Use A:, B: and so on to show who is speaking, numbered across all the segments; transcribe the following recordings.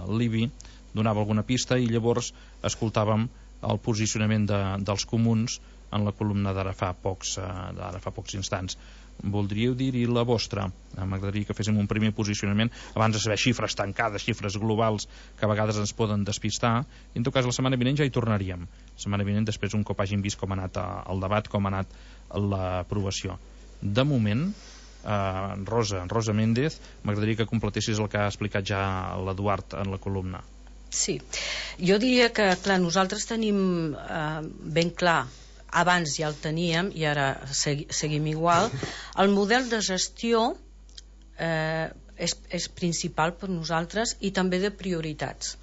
A: l'IBI donava alguna pista i llavors escoltàvem el posicionament dels comuns en la columna d'ara fa pocs instants. Voldríeu dir-hi la vostra? M'agradaria que féssim un primer posicionament abans de saber xifres tancades, xifres globals que a vegades ens poden despistar, i en tot cas la setmana vinent ja hi tornaríem, la setmana vinent després un cop hàgim vist com ha anat el debat, com ha anat l'aprovació. De moment, Rosa Méndez, m'agradaria que completessis el que ha explicat ja l'Eduard en la columna.
B: Sí, jo diria que clar, nosaltres tenim ben clar, abans ja el teníem i ara seguim igual, el model de gestió és principal per nosaltres i també de prioritats.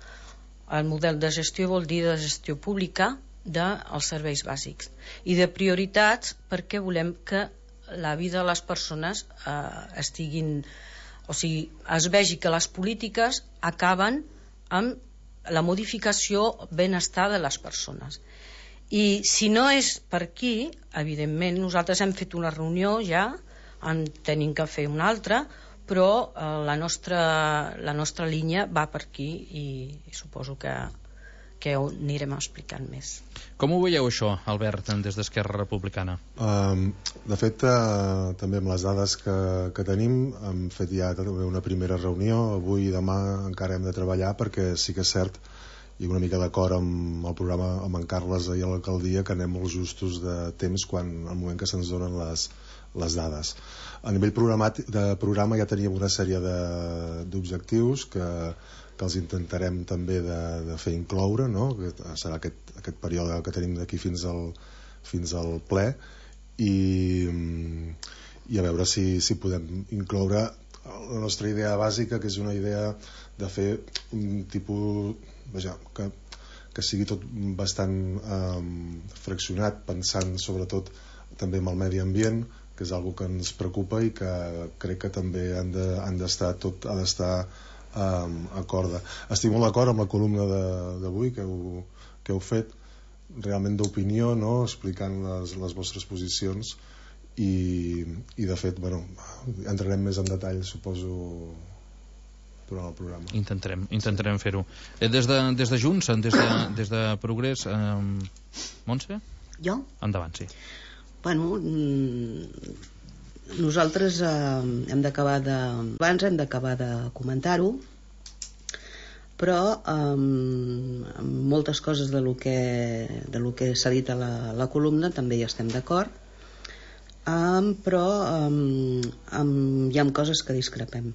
B: El model de gestió vol dir de gestió pública dels serveis bàsics i de prioritats perquè volem que la vida de les persones es vegi que les polítiques acaben amb la modificació benestar de les persones. I si no és per aquí, evidentment nosaltres hem fet una reunió ja, en tenim que fer una altra, però la nostra línia va per aquí i suposo que ho anirem explicant més.
A: Com ho veieu això, Albert, des d'Esquerra Republicana?
C: De fet, també amb les dades que tenim, hem fet ja una primera reunió. Avui i demà encara hem de treballar perquè sí que és cert, i una mica d'acord amb el programa amb en Carles ahir a l'alcaldia, que anem molt justos de temps al moment que se'ns donen les dades. A nivell de programa ja teníem una sèrie d'objectius que els intentarem també de fer incloure, no? Que serà aquest període que tenim d'aquí fins al ple, i a veure si podem incloure la nostra idea bàsica, que és una idea de fer un tipus, que sigui tot bastant fraccionat, pensant sobretot també en el medi ambient, que és una que ens preocupa i que crec que també ha d'estar acorda. Estic molt d'acord amb la columna d'avui que heu fet, realment d'opinió, no? Explicant les vostres posicions, i de fet entrarem més en detall, suposo, durant el programa.
A: Intentarem fer-ho. Des de Junts, des de Progrés, Montse?
D: Jo?
A: Endavant, sí.
D: Bueno, nosaltres hem d'acabar de comentar-ho, però moltes coses de lo que s'ha dit a la columna també hi estem d'acord, però hi ha coses que discrepem.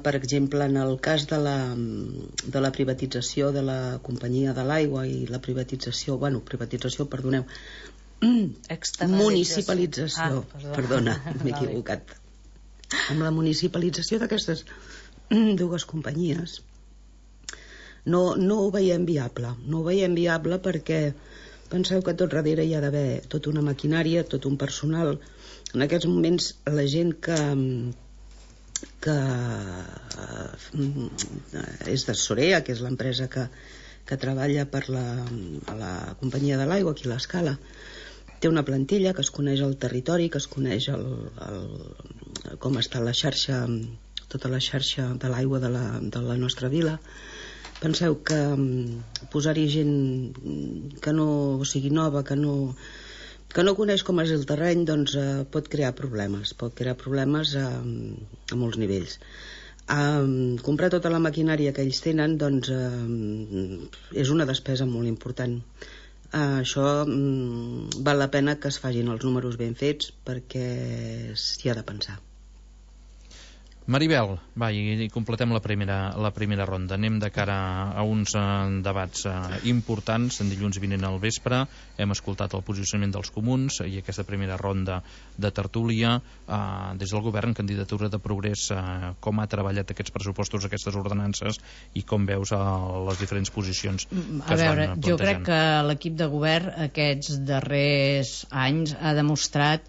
D: Per exemple, en el cas de la privatització de la companyia de l'aigua i la municipalització, perdona, m'he equivocat, amb la municipalització d'aquestes dues companyies no ho veiem viable, perquè penseu que tot darrere hi ha d'haver tota una maquinària, tot un personal. En aquests moments la gent que és de Sorea, que és l'empresa que treballa per la companyia de l'aigua aquí a l'Escala, té una plantilla que es coneix el territori, que es coneix com està la xarxa, tota la xarxa de l'aigua de la nostra vila. Penseu que posar-hi gent que no sigui nova, que no coneix com és el terreny, doncs pot crear problemes a molts nivells. Comprar tota la maquinària que ells tenen, doncs és una despesa molt important. Això val la pena que es facin els números ben fets, perquè s'hi ha de pensar.
A: Maribel, va, i completem la primera ronda. Anem de cara a uns debats importants. En dilluns vinent al vespre hem escoltat el posicionament dels comuns i aquesta primera ronda de tertúlia. Des del govern, candidatura de Progrés, com ha treballat aquests pressupostos, aquestes ordenances, i com veus les diferents posicions que es van plantejant?
B: Jo crec que l'equip de govern aquests darrers anys ha demostrat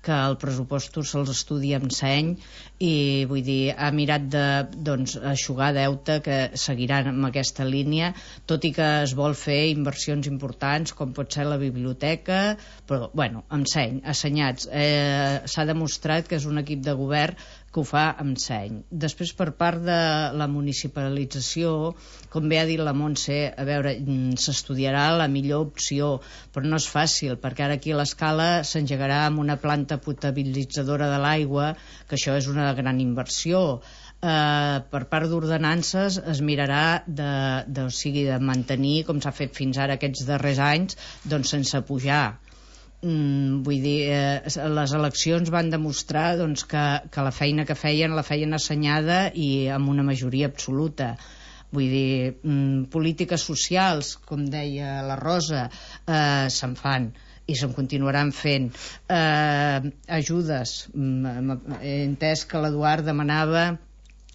B: que el pressupost se'ls estudia amb seny, i vull dir, ha mirat d'eixugar deute, que seguiran amb aquesta línia, tot i que es vol fer inversions importants com pot ser la biblioteca, però bueno, amb seny, assenyats. S'ha demostrat que és un equip de govern
E: que ho fa amb seny. Després, per part de la municipalització, com bé ha dit la Montse, a veure, s'estudiarà la millor opció, però no és fàcil, perquè ara aquí a l'Escala s'engegarà amb una planta potabilitzadora de l'aigua, que això és una gran inversió. Per part d'ordenances es mirarà o sigui, de mantenir, com s'ha fet fins ara aquests darrers anys, doncs sense pujar. Vull dir, les eleccions van demostrar doncs, que la feina que feien la feien assenyada i amb una majoria absoluta. Vull dir, polítiques socials, com deia la Rosa, se'n fan i se'n continuaran fent. Ajudes, he entès que l'Eduard demanava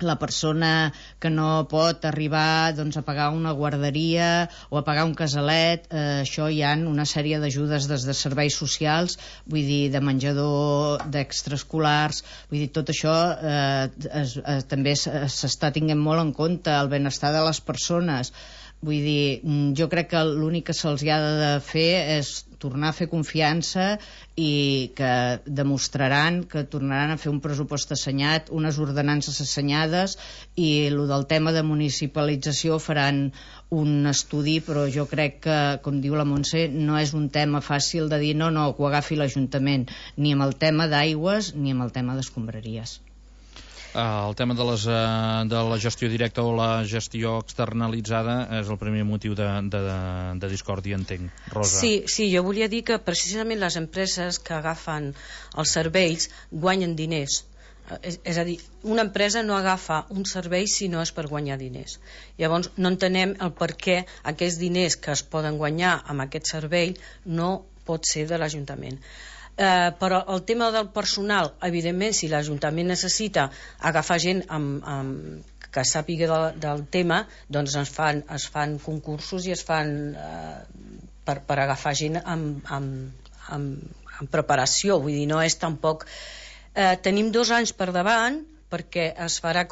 E: la persona que no pot arribar doncs, a pagar una guarderia o a pagar un casalet, això hi ha una sèrie d'ajudes des de serveis socials, vull dir, de menjador, d'extraescolars, vull dir, tot això també s'està tenint molt en compte, el benestar de les persones. Vull dir, jo crec que l'únic que se'ls ha de fer és tornar a fer confiança i que demostraran que tornaran a fer un pressupost assenyat, unes ordenances assenyades, i el del tema de municipalització faran un estudi, però jo crec que, com diu la Montse, no és un tema fàcil de dir no, que ho agafi l'Ajuntament, ni amb el tema d'aigües ni amb el tema d'escombraries.
A: El tema de la gestió directa o la gestió externalitzada és el primer motiu de discòrdia, entenc. Rosa.
B: Sí, jo volia dir que precisament les empreses que agafen els serveis guanyen diners. És a dir, una empresa no agafa un servei si no és per guanyar diners. Llavors no entenem el per què aquests diners que es poden guanyar amb aquest servei no pot ser de l'Ajuntament. Però el tema del personal, evidentment, si l'Ajuntament necessita agafar gent que sàpiga del tema, doncs es fan concursos i es fan per agafar gent amb preparació. Vull dir, no és tampoc... Tenim 2 anys per davant, perquè es farà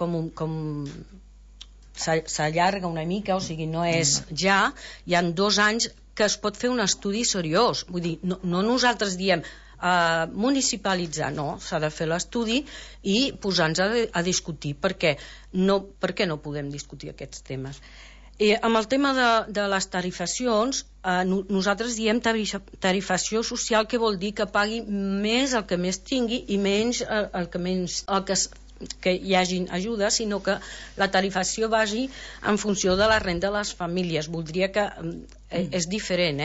B: s'allarga una mica, o sigui, no és ja, hi han 2 anys que es pot fer un estudi seriós. Vull dir, no nosaltres diem municipalitzar, no, s'ha de fer l'estudi i posar-nos a discutir per què no podem discutir aquests temes. Amb el tema de les tarifacions, nosaltres diem tarifació social, que vol dir que pagui més el que més tingui i menys el que hi hagin ajudes, sinó que la tarifació vagi en funció de la renda de les famílies. Voldria que és diferent,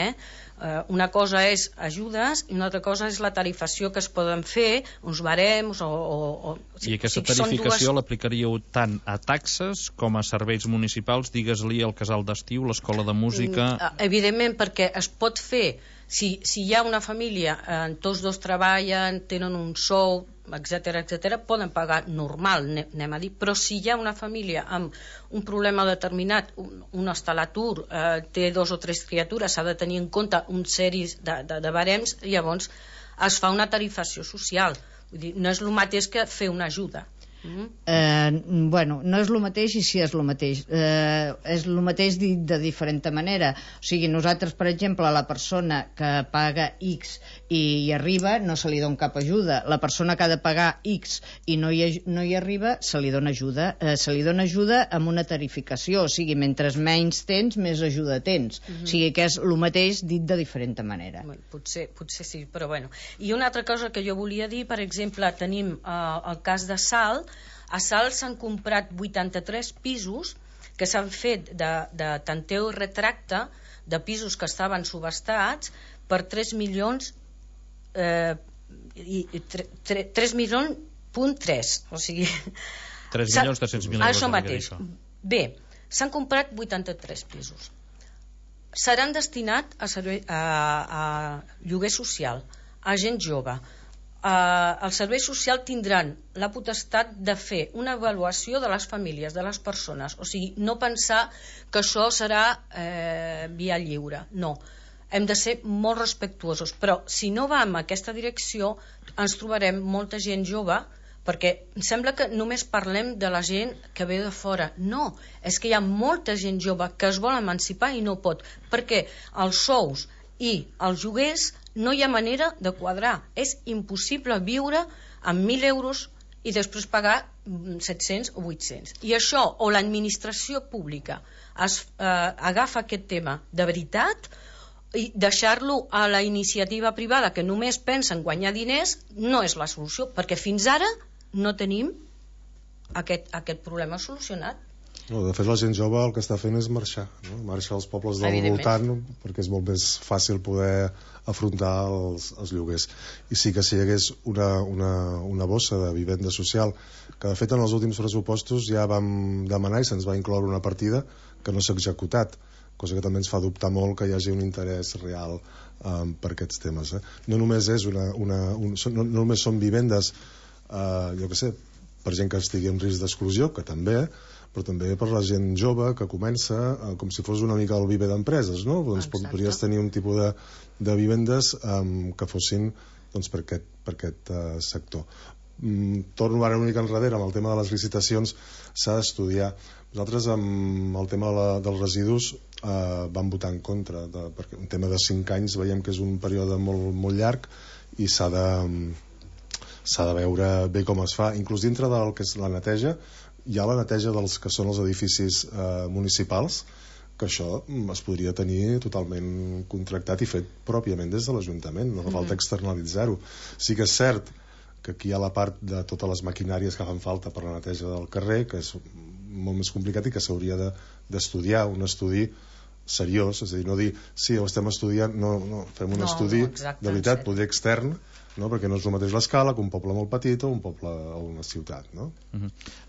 B: una cosa és ajudes i una altra cosa és la tarifació que es poden fer, uns barems
A: I aquesta tarificació l'aplicaríeu tant a taxes com a serveis municipals, digues-li el casal d'estiu, l'escola de música...
B: Evidentment, perquè es pot fer, si hi ha una família, tots dos treballen, tenen un sou, etc., poden pagar normal, anem a dir, però si hi ha una família amb un problema determinat, un està a l'atur, té 2 o 3 criatures, s'ha de tenir en compte un sèrie de barems, llavors es fa una tarifació social. Vull dir, no és el mateix que fer una ajuda.
E: Bueno, no és el mateix i sí és el mateix. És el mateix dit de diferent manera. O sigui, nosaltres, per exemple, la persona que paga X i hi arriba, no se li dona cap ajuda. La persona que ha de pagar X i no hi arriba, se li dona ajuda. Se li dona ajuda amb una tarificació. O sigui, mentre menys tens, més ajuda tens. O sigui, que és el mateix dit de diferent manera.
B: Potser sí, però bueno. I una altra cosa que jo volia dir, per exemple, tenim el cas de Salt. A Salt s'han comprat 83 pisos que s'han fet de tanteu i retracte de pisos que estaven subhastats per 3 milions 3 milions .3, o sigui
A: 3.300.000 euros.
B: Això mateix. Bé, s'han comprat 83 pisos. Seran destinats a lloguer social, a gent jove. El servei social tindran la potestat de fer una avaluació de les famílies, de les persones, o sigui, no pensar que això serà via lliure, no, hem de ser molt respectuosos, però si no va en aquesta direcció ens trobarem molta gent jove, perquè sembla que només parlem de la gent que ve de fora. No, és que hi ha molta gent jove que es vol emancipar i no pot, perquè els sous i els lloguers no hi ha manera de quadrar. És impossible viure amb 1.000 euros i després pagar 700 o 800. I això, o l'administració pública agafa aquest tema de veritat i deixar-lo a la iniciativa privada que només pensa en guanyar diners, no és la solució, perquè fins ara no tenim aquest problema solucionat.
C: No, de fet, la gent jove el que està fent és marxar, no? Marxar als pobles del voltant, perquè és molt més fàcil poder afrontar els lloguers. I sí que si hi hagués una bossa de vivenda social, que de fet en els últims pressupostos ja vam demanar i se'ns va incloure una partida que no s'ha executat, cosa que també ens fa dubtar molt que hi hagi un interès real per aquests temes. No només no només són vivendes, jo què sé, per gent que estigui en risc d'exclusió, que també, però també per la gent jove que comença com si fos una mica el viver d'empreses, no? Doncs podries tenir un tipus de vivendes que fossin doncs, per aquest sector. Torno ara una mica enrere amb el tema de les licitacions, s'ha d'estudiar. Nosaltres amb el tema dels residus vam votar en contra, perquè un tema de 5 anys veiem que és un període molt, molt llarg i s'ha de veure bé com es fa. Inclús dintre del que és la neteja, hi ha la neteja dels que són els edificis municipals, que això es podria tenir totalment contractat i fet pròpiament des de l'Ajuntament, no fa falta externalitzar-ho. Sí que és cert que aquí hi ha la part de totes les maquinàries que fan falta per la neteja del carrer, que és molt més complicat i que s'hauria d'estudiar, un estudi seriós, és a dir, no dir sí, ho estem estudiant, no, fem un estudi de veritat, poder extern, no? Perquè no és el mateix l'escala que un poble molt petit o un poble o una ciutat, no?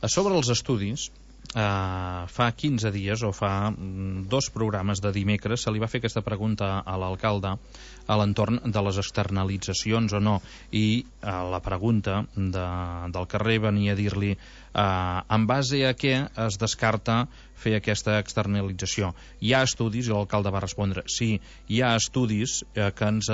A: A sobre els estudis, fa 15 dies o fa 2 programes de dimecres se li va fer aquesta pregunta a l'alcalde a l'entorn de les externalitzacions o no, i la pregunta del carrer venia a dir-li en base a què es descarta fer aquesta externalització. Hi ha estudis, i l'alcalde va respondre sí, hi ha estudis que ens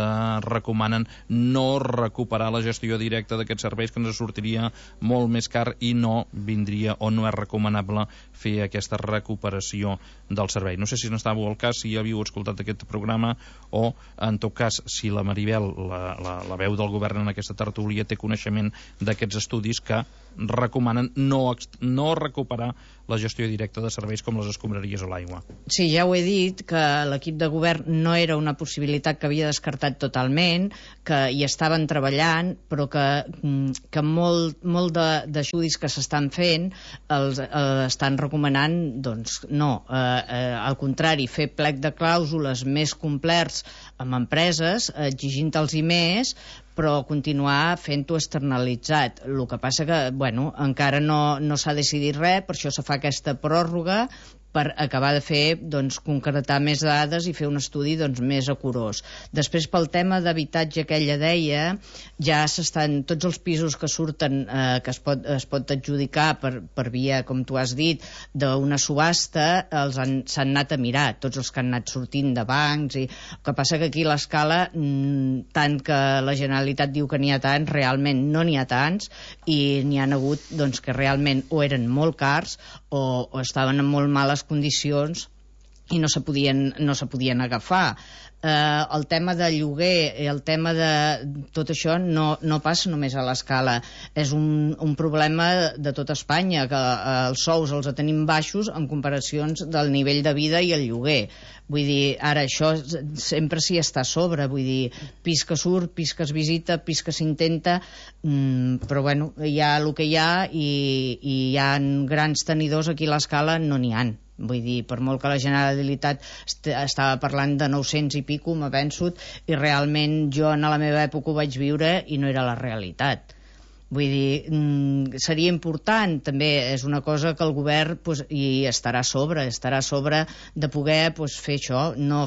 A: recomanen no recuperar la gestió directa d'aquests serveis, que ens sortiria molt més car i no vindria o no és recomanable fer aquesta recuperació del servei. No sé si n'estàveu al cas, si havíeu escoltat aquest programa o, en tot cas, si la Maribel, la veu del govern en aquesta tertúlia, té coneixement d'aquests estudis que recomanen no recuperar la gestió directa de serveis com les escombraries o l'aigua.
E: Sí, ja ho he dit, que l'equip de govern no era una possibilitat que havia descartat totalment, que hi estaven treballant, però que molt d'estudis que s'estan fent estan recomanant, doncs, no. Al contrari, fer plec de clàusules més complerts amb empreses, exigint-los més, però continuar fent-ho externalitzat. El que passa que, bueno, encara no s'ha decidit res, per això se fa aquesta pròrroga, per acabar de fer, doncs, concretar més dades i fer un estudi, doncs, més acurós. Després, pel tema d'habitatge que ella deia, ja s'estan, tots els pisos que surten, que es pot adjudicar per via, com tu has dit, d'una subhasta, s'han anat a mirar, tots els que han anat sortint de bancs, i el que passa que aquí l'escala, tant que la Generalitat diu que n'hi ha tants, realment no n'hi ha tants, i n'hi ha hagut, doncs, que realment o eren molt cars o estaven en molt males condicions i no se podien agafar. El tema de lloguer i el tema de tot això no passa només a l'Escala, és un problema de tota Espanya, que els sous els tenim baixos en comparacions del nivell de vida i el lloguer. Vull dir, ara això sempre s'hi està a sobre, vull dir, pis que surt, pis que es visita, pis que s'intenta, però bueno, hi ha el que hi ha, i hi ha grans tenidors aquí a l'Escala, no n'hi ha. Vull dir, per molt que la Generalitat estava parlant de 900 i pico, m'ha vençut, i realment jo en la meva època ho vaig viure i no era la realitat. Vull dir, seria important, també és una cosa que el govern hi estarà a sobre de poder fer això, no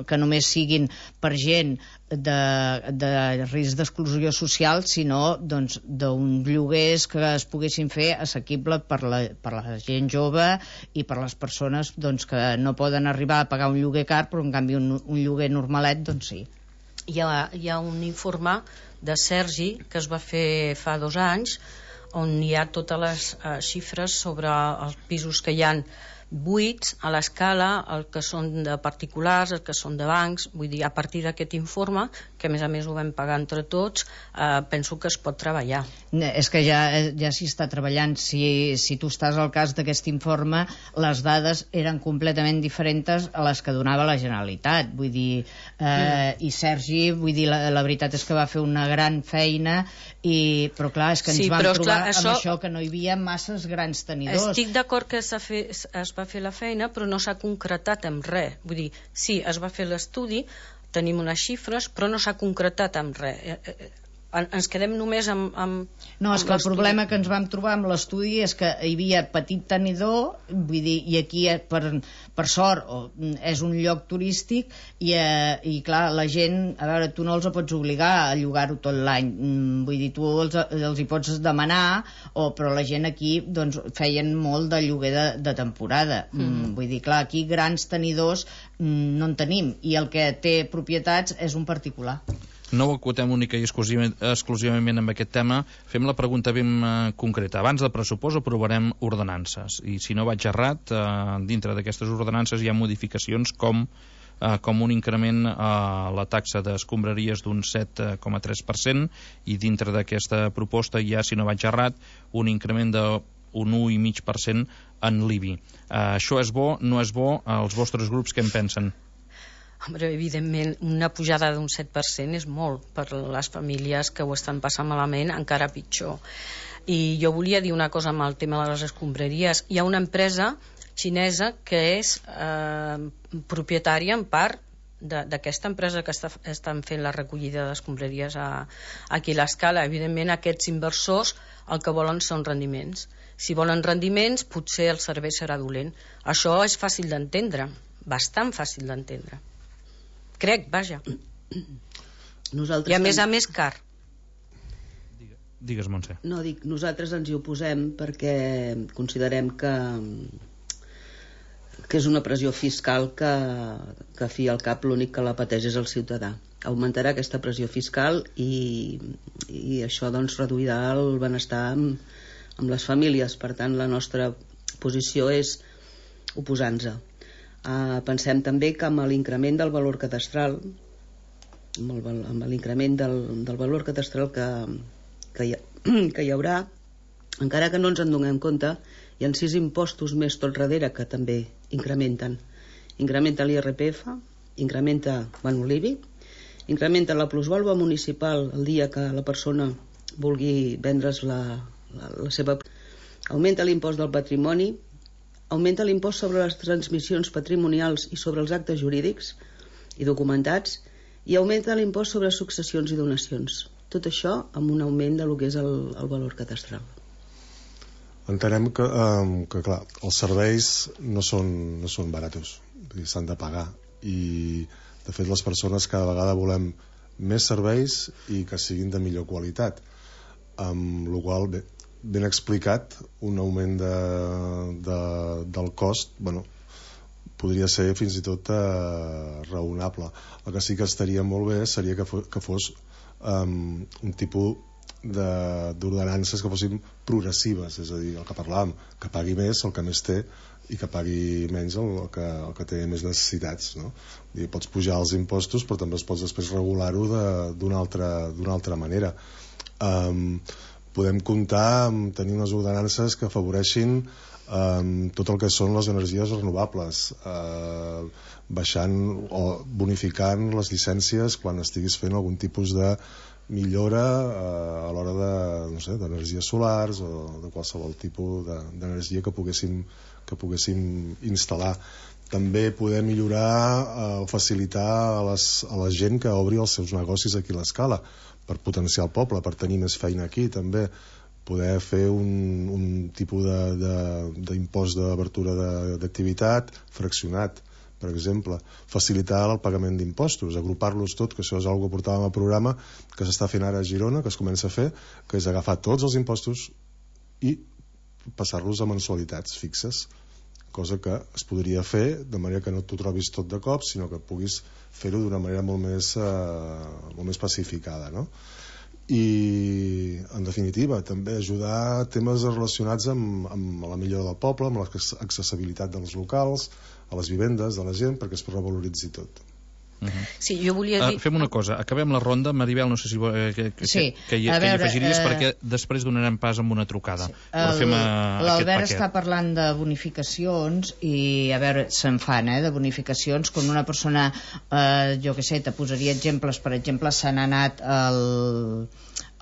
E: que només siguin per gent de risc d'exclusió social, sinó doncs d'uns lloguers que es poguessin fer assequible per la gent jove i per les persones doncs, que no poden arribar a pagar un lloguer car, però en canvi un lloguer normalet, doncs sí.
B: Hi ha un informe de Sergi que es va fer fa 2 anys, on hi ha totes les xifres sobre els pisos que hi ha buits a l'escala, els que són de particulars, els que són de bancs. Vull dir, a partir d'aquest informe, que a més ho vam pagar entre tots, penso que es pot treballar.
E: És que ja s'hi està treballant. Si tu estàs al cas d'aquest informe, les dades eren completament diferents a les que donava la Generalitat. Vull dir, i Sergi, vull dir, la veritat és que va fer una gran feina, però clar, és que ens vam trobar amb això, que no hi havia masses grans tenidors.
B: Estic d'acord que es va fer la feina, però no s'ha concretat en res. Vull dir, sí, es va fer l'estudi, tenim unes xifres, però no s'ha concretat en res. Ens quedem només amb
E: no, és que el problema que ens vam trobar amb l'estudi és que hi havia petit tenidor, vull dir, i aquí per sort és un lloc turístic i clar, la gent, a veure, tu no els pots obligar a llogar-ho tot l'any, vull dir, tu els hi pots demanar, però la gent aquí doncs feien molt de lloguer de temporada. Vull dir, clar, aquí grans tenidors no en tenim, i el que té propietats és un particular.
A: No ho acotem única i exclusivament amb aquest tema. Fem la pregunta ben concreta. Abans del pressupost aprovarem ordenances, i si no vaig errat, dintre d'aquestes ordenances hi ha modificacions com un increment a la taxa d'escombraries d'un 7,3%, i dintre d'aquesta proposta hi ha, si no vaig errat, un increment d'un 1,5% en l'IBI. Això és bo, no és bo? Els vostres grups què en pensen?
B: Home, evidentment, una pujada d'un 7% és molt per les famílies que ho estan passant malament, encara pitjor. I jo volia dir una cosa amb el tema de les escombraries. Hi ha una empresa xinesa que és propietària en part d'aquesta empresa que estan fent la recollida d'escombraries aquí a l'Escala. Evidentment, aquests inversors el que volen són rendiments. Si volen rendiments, potser el servei serà dolent. Això és fàcil d'entendre, bastant fàcil d'entendre. Crec, vaja. I a més car.
A: Digues, Montse.
D: No, dic, nosaltres ens hi oposem perquè considerem que és una pressió fiscal que fi al cap l'únic que la pateix és el ciutadà. Augmentarà aquesta pressió fiscal i això doncs reduirà el benestar amb les famílies. Per tant, la nostra posició és oposar-nos. Pensem també que amb l'increment del valor cadastral, amb l'increment del valor cadastral que hi haurà, encara que no ens en donem compte, hi ha 6 impostos més tot darrere que també incrementen. Incrementa l'IRPF, incrementa l'IBI, incrementa la plusvàlua municipal el dia que la persona vulgui vendre's la seva... Augmenta l'impost del patrimoni, augmenta l'impost sobre les transmissions patrimonials i sobre els actes jurídics i documentats, i augmenta l'impost sobre successions i donacions. Tot això amb un augment de lo que és el valor cadastral.
C: Entenem que clar, els serveis no són baratos, s'han de pagar, i de fet les persones cada vegada volem més serveis i que siguin de millor qualitat, amb la qual cosa, ben explicat, un augment del cost, podria ser fins i tot raonable. El que sí que estaria molt bé seria que fos un tipus d'ordenances que fossin progressives, és a dir, el que parlàvem, que pagui més el que més té i que pagui menys el que té més necessitats, no? Pots pujar els impostos, però també pots després regular-ho d'una altra manera. Podem comptar amb tenir unes ordenances que afavoreixin tot el que són les energies renovables, baixant o bonificant les llicències quan estiguis fent algun tipus de millora a l'hora d'energies solars o de qualsevol tipus d'energia que poguéssim instal·lar. També poder millorar o facilitar a la gent que obri els seus negocis aquí a l'Escala, per potenciar el poble, per tenir més feina aquí. També poder fer un tipus d'impost d'obertura d'activitat fraccionat, per exemple, facilitar el pagament d'impostos, agrupar-los tot, que això és una cosa que portàvem al programa, que s'està fent ara a Girona, que es comença a fer, que és agafar tots els impostos i passar-los a mensualitats fixes, cosa que es podria fer de manera que no t'ho trobis tot de cop, sinó que puguis fer-ho d'una manera molt més pacificada, no? i en definitiva també ajudar a temes relacionats amb la millora del poble, amb l'accessibilitat dels locals, a les vivendes de la gent, perquè es revaloritzi tot.
B: Sí, jo volia dir...
A: Fem una cosa, acabem la ronda. Maribel, no sé si que hi afegiries, perquè després donarem pas amb una trucada. Sí.
E: L'Albert està parlant de bonificacions i, a veure, se'n fan, de bonificacions. Quan una persona, jo què sé, te posaria exemples, per exemple, se n'ha anat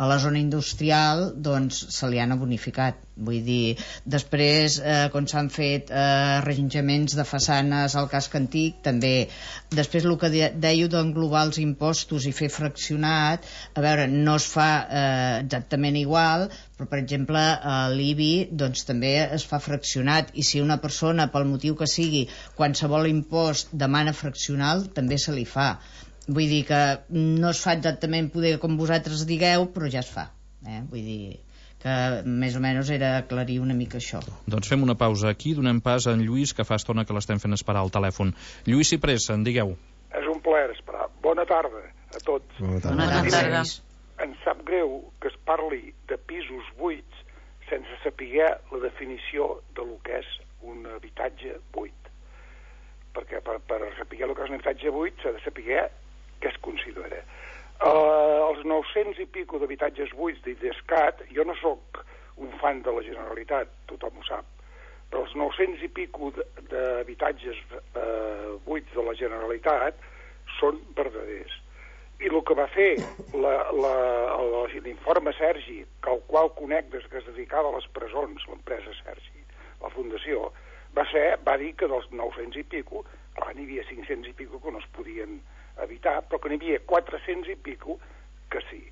E: a la zona industrial, doncs se li han bonificat. Vull dir, després, quan s'han fet arranjaments de façanes al casc antic, també. Després, el que dèieu d'englobar els impostos i fer fraccionat, a veure, no es fa exactament igual, però, per exemple, l'IBI doncs, també es fa fraccionat, i si una persona, pel motiu que sigui, qualsevol impost demana fraccional, també se li fa. Vull dir que no es fa exactament poder com vosaltres digueu, però ja es fa. Vull dir que més o menys era aclarir una mica això.
A: Doncs fem una pausa aquí, donem pas a en Lluís, que fa estona que l'estem fent esperar al telèfon. Lluís Ciprés, en digueu.
F: És un plaer esperar. Bona tarda a tots.
B: Bona tarda.
F: Em sap greu que es parli de pisos buits sense saber la definició de lo que és un habitatge buit. Perquè per saber el que és un habitatge buit s'ha de saber què es considera. Els 900 i pico d'habitatges buits d'IDESCAT, jo no sóc un fan de la Generalitat, tothom ho sap, però els 900 i pico d'habitatges buits de la Generalitat són verdaders. I el que va fer l'informe Sergi, que al qual conec des que es dedicava a les presons, l'empresa Sergi, la fundació, va dir que dels 900 i pico, clar, n'hi havia 500 i pico que no es podien evitar, però que n'hi havia 400 i pico que sí.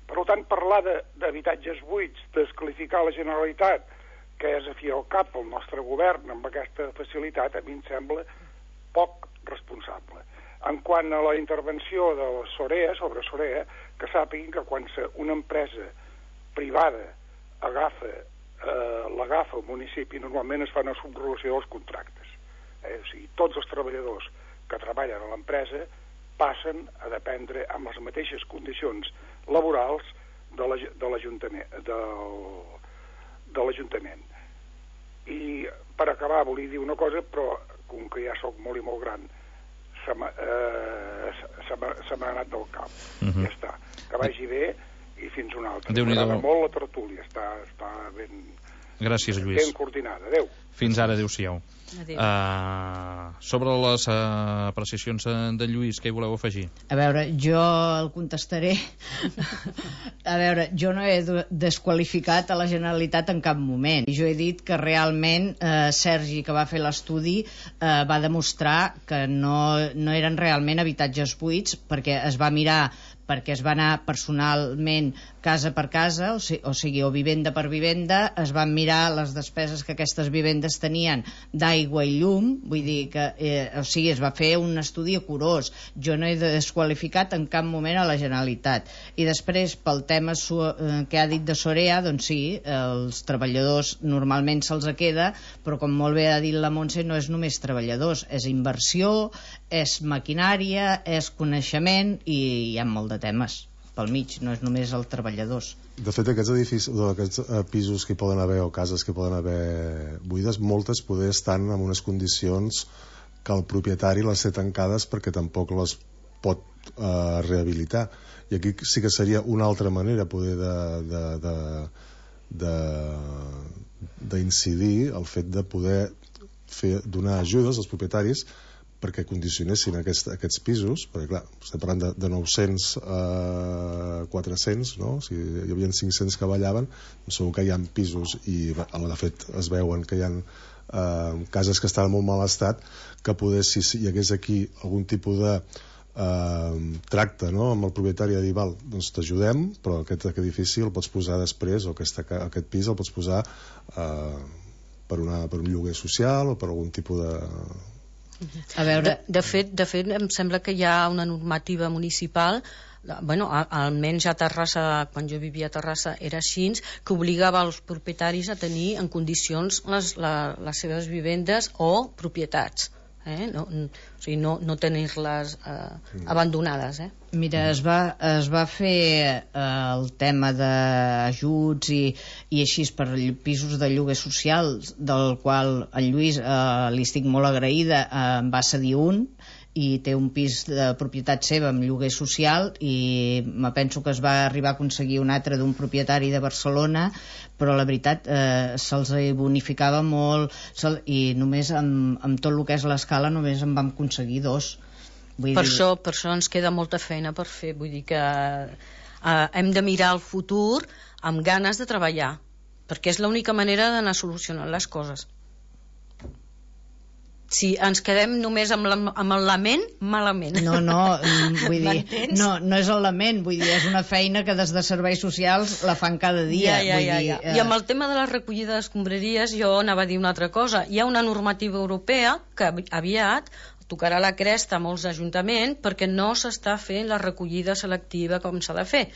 F: Per tant, parlar d'habitatges buits, desqualificar la Generalitat, que és a fi al cap el nostre govern amb aquesta facilitat, a mi em sembla poc responsable. En quant a la intervenció de Sorea, sobre Sorea, que sàpiguin que quan una empresa privada l'agafa el municipi, normalment es fa una subrogació dels contractes. O sigui, tots els treballadors que treballen a l'empresa passen a dependre amb les mateixes condicions laborals de l'Ajuntament. I per acabar volia dir una cosa, però com que ja sóc molt i molt gran se m'ha anat del cap. Ja està. Que vagi bé i fins una altra. M'agrada molt la tertúlia, està ben...
A: Gràcies, Lluís.
F: Ben coordinada. Adéu.
A: Fins ara, adéu-siau. Sobre les apreciacions de Lluís, què hi voleu afegir?
E: A veure, jo el contestaré. A veure, jo no he desqualificat a la Generalitat en cap moment. Jo he dit que realment Sergi, que va fer l'estudi, va demostrar que no eren realment habitatges buits, perquè es va mirar, perquè es va anar personalment casa per casa, o sigui, o vivenda per vivenda, es van mirar les despeses que aquestes vivendes tenien d'aigua i llum, vull dir que o sigui, es va fer un estudi curós. Jo no he desqualificat en cap moment a la Generalitat. I després, pel tema que ha dit de Sorea, doncs sí, els treballadors normalment se'ls queda, però com molt bé ha dit la Montse, no és només treballadors, és inversió, és maquinària, és coneixement, i hi ha molt de temes pel mig, no és només els treballadors.
C: De fet, aquests edificis, aquests pisos que hi poden haver o cases que hi poden haver buides, moltes poder estan en unes condicions que el propietari les té tancades perquè tampoc les pot rehabilitar. I aquí sí que seria una altra manera poder d'incidir el fet de poder donar ajudes als propietaris perquè condicionessin aquests pisos, perquè clar, estem parlant de 900 a 400, no? Si hi havia 500 que ballaven, segur que hi ha pisos, i de fet es veuen que hi ha cases que estan en molt mal estat, que poder, si hi hagués aquí algun tipus de tracte, no?, amb el propietari, de dir, val, doncs t'ajudem, però aquest edifici el pots posar després, o aquest pis el pots posar per un lloguer social o per algun tipus de...
B: A veure, de fet em sembla que hi ha una normativa municipal, bueno, almenys a Terrassa, quan jo vivia a Terrassa era així, que obligava els propietaris a tenir en condicions les seves vivendes o propietats. no tenir-les abandonades.
E: Mira, es va fer el tema d'ajuts i així per pisos de lloguer social, del qual en Lluís li estic molt agraïda, em va cedir un i té un pis de propietat seva amb lloguer social, i me penso que es va arribar a aconseguir un altre d'un propietari de Barcelona, però la veritat se'ls bonificava molt, i només amb tot el que és l'escala només en vam aconseguir 2.
B: Per això ens queda molta feina per fer. Vull dir que hem de mirar el futur amb ganes de treballar, perquè és l'única manera d'anar solucionant les coses. Si ens quedem només amb el lament, malament.
E: No, vull dir, no és el lament, vull dir, és una feina que des de serveis socials la fan cada dia.
B: I amb el tema de la recollida d'escombraries jo anava a dir una altra cosa. Hi ha una normativa europea que aviat tocarà la cresta a molts ajuntaments perquè no s'està fent la recollida selectiva com s'ha de fer.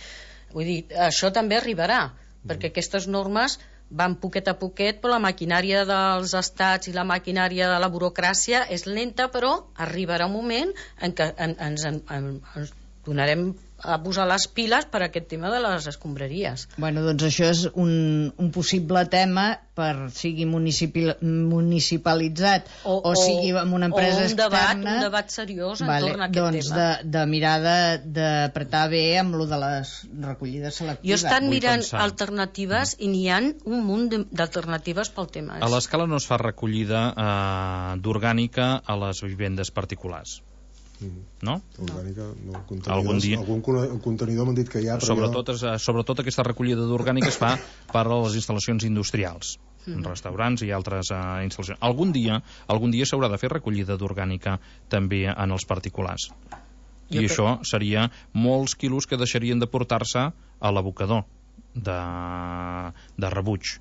B: Vull dir, això també arribarà, perquè aquestes normes van poquet a poquet, però la maquinària dels estats i la maquinària de la burocràcia és lenta, però arribarà un moment en què ens donarem a posar les piles per aquest tema de les escombraries.
E: Bueno, doncs això és un possible tema per sigui municipalitzat o sigui amb una empresa externa.
B: Un debat seriós entorn a aquest tema.
E: De mirar d'apretar bé amb lo de les recollides selectives.
B: Jo he estat mirant alternatives i n'hi ha un munt d'alternatives pel tema.
A: A l'escala no es fa recollida d'orgànica a les vivendes particulars. No?
C: Orgànica, no.
A: Algun dia.
C: Algun contenidor m'han dit que hi ha, però
A: sobretot aquesta recollida d'orgànica es fa per a les instal·lacions industrials, restaurants i altres instal·lacions. Algun dia s'haurà de fer recollida d'orgànica també en els particulars. I això seria molts quilos que deixarien de portar-se a l'abocador de rebuig.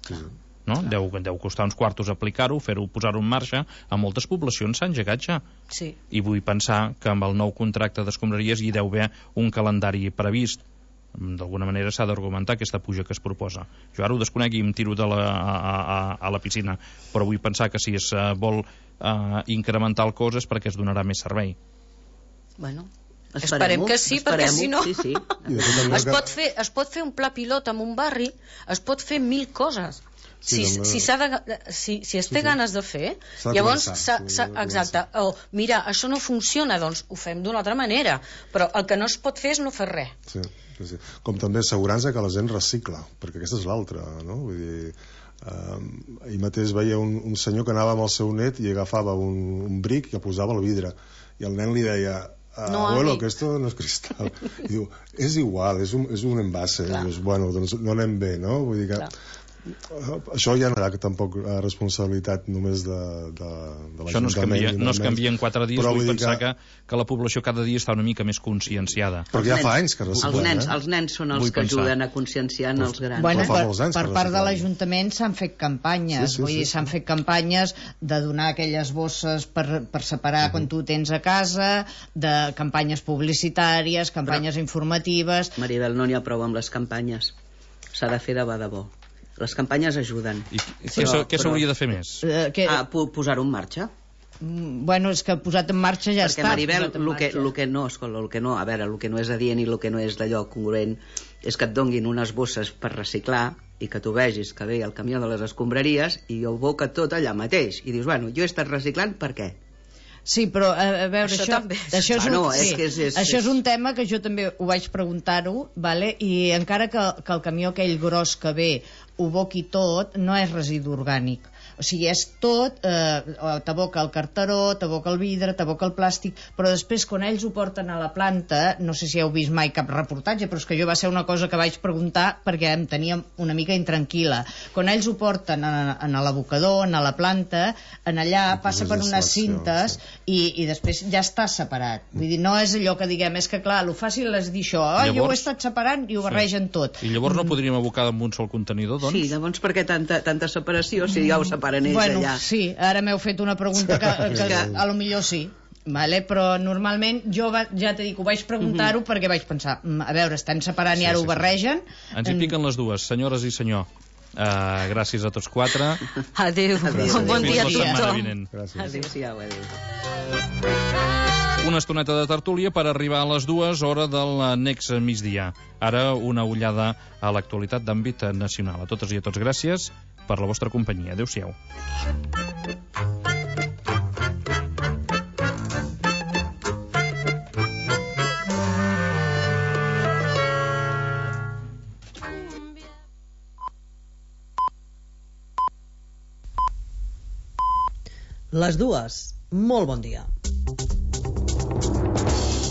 C: Sí.
A: No? Deu costar uns quartos aplicar-ho, posar-ho en marxa. A moltes poblacions s'ha engegat ja.
B: Sí.
A: I vull pensar que amb el nou contracte d'escombraries hi deu haver un calendari previst. D'alguna manera s'ha d'argumentar aquesta puja que es proposa. Jo ara ho desconec i em tiro a la piscina, però vull pensar que si es vol incrementar el cost és perquè es donarà més servei.
B: Bueno, esperem que sí, perquè si no
D: sí.
B: es pot fer un pla pilot en un barri, es pot fer 1000 coses. Si es té ganes de fer, llavors exacte, mira, això no funciona, doncs ho fem d'una altra manera, però el que no es pot fer és no fer res.
C: Sí. Com també assegurança que la gent recicla, perquè aquesta és l'altra, no? Vull dir, ahir mateix veia un senyor que anava amb el seu net i agafava un bric i el posava al vidre, i el nen li deia abuelo, que esto no es cristal. I diu, és igual, és un envase. I dius, bueno, doncs no anem bé, no? Vull dir que això ja no hi ha tampoc responsabilitat només de l'Ajuntament.
A: No es canvia en 4 dies. Vull pensar que la població cada dia està una mica més conscienciada.
C: Però ja fa anys que reciclen.
D: Els nens són els que ajuden a conscienciar els grans.
E: Bueno, per part de l'Ajuntament s'han fet campanyes. Vull dir, s'han fet campanyes de donar aquelles bosses per separar quan tu tens a casa, de campanyes publicitàries, campanyes informatives.
D: Maribel, no n'hi ha prou amb les campanyes. S'ha de fer de bo. Les campanyes ajuden.
A: I què s'hauria de fer més?
D: Posar-ho en marxa.
E: Bueno, és que posat en marxa ja
D: està. Perquè, Maribel, el que no és adient i el que no és d'allò congruent és que et donguin unes bosses per reciclar i que tu vegis que ve el camió de les escombraries i ho boca tot allà mateix. I dius, bueno, jo he estat reciclant, per què?
E: Sí, però a veure, això és un tema que jo també ho vaig preguntar-ho, vale? I encara que el camió aquell gros que ve ho boqui tot, no és residu orgànic. O sigui, és tot, t'aboca el carteró, t'aboca el vidre, t'aboca el plàstic, però després quan ells ho porten a la planta, no sé si heu vist mai cap reportatge, però és que jo va ser una cosa que vaig preguntar perquè em tenia una mica intranquil·la. Quan ells ho porten a l'abocador, a la planta, en allà passa per unes cintes i després ja està separat. Vull dir, no és allò que diguem, és que clar, el fàcil és dir això, jo ho he estat separant i ho barregen tot.
A: I llavors no podríem abocar amb un sol contenidor, doncs?
D: Sí, llavors per què tanta separació si ja ho separen ells allà?
E: Sí, ara m'heu fet una pregunta que a lo millor sí, vale? Però normalment jo ja t'he dit que ho vaig preguntar-ho perquè vaig pensar, a veure, estem separant i ara ho barregen.
A: Ens hi piquen les dues, senyores i senyor. Gràcies a tots quatre.
B: Adéu. Bon dia a
A: Fins la setmana
B: tothom.
A: vinent.
C: Gràcies.
D: Adéu-siau, adéu.
A: Una estoneta de tertúlia per arribar a les 2, hora del next migdia. Ara una ullada a l'actualitat d'àmbit nacional. A totes i a tots gràcies per la vostra companyia. Adéu-siau.
G: Les 2, molt bon dia.